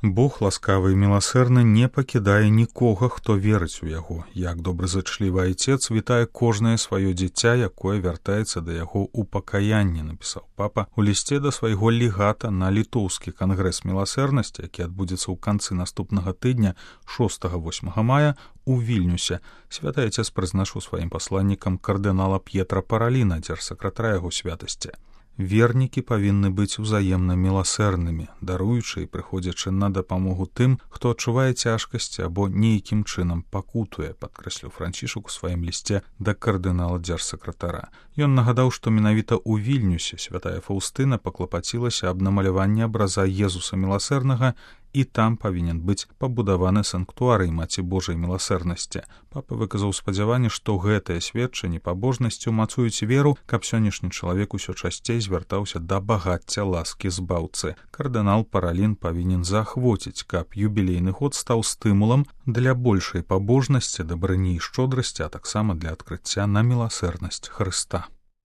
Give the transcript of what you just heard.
Бог ласкавы і міласэрны не пакідае нікога, хто верыць у яго. Як добразычлівы айцец вітае кожнае сваё дзіця, якое вяртаецца да яго ў пакаянні, напісаў папа у лісце да свайго легата на літоўскі кангрэс міласэрнасці, які адбудзецца ў канцы наступнага тыдня 6-8 мая у Вільнюсе. Святы айцец прызначыў сваім пасланнікам кардынала П'етра Параліна, дзяржсакратара яго святасці. Вернікі павінны быць узаемна міласэрнымі, даруючы і прыходзячы на дапамогу тым, хто адчувае цяжкасці або нейкім чынам пакутуе, падкрэсліў Францішак у сваім лісце да кардынала дзяржсакратара. Ён нагадаў, што менавіта ў Вільнюсе святая Фаўстына паклапацілася аб намаляванні абраза Езуса міласэрнага, і там павінен быць пабудаваны санктуарый Маці Божай міласэрнасці. Папа выказаў спадзяванне, што гэтыя сведчанні пабожнасці ўмацуюць веру, каб сённяшні чалавек усё часцей звяртаўся да багацця ласкі збаўцы. Кардынал Паралін павінен заахвоціць, каб юбілейны год стаў стымулам для большай пабожнасці, дабрыні і шчодрасці, а таксама для адкрыцця на міласэрнасць Хрыста.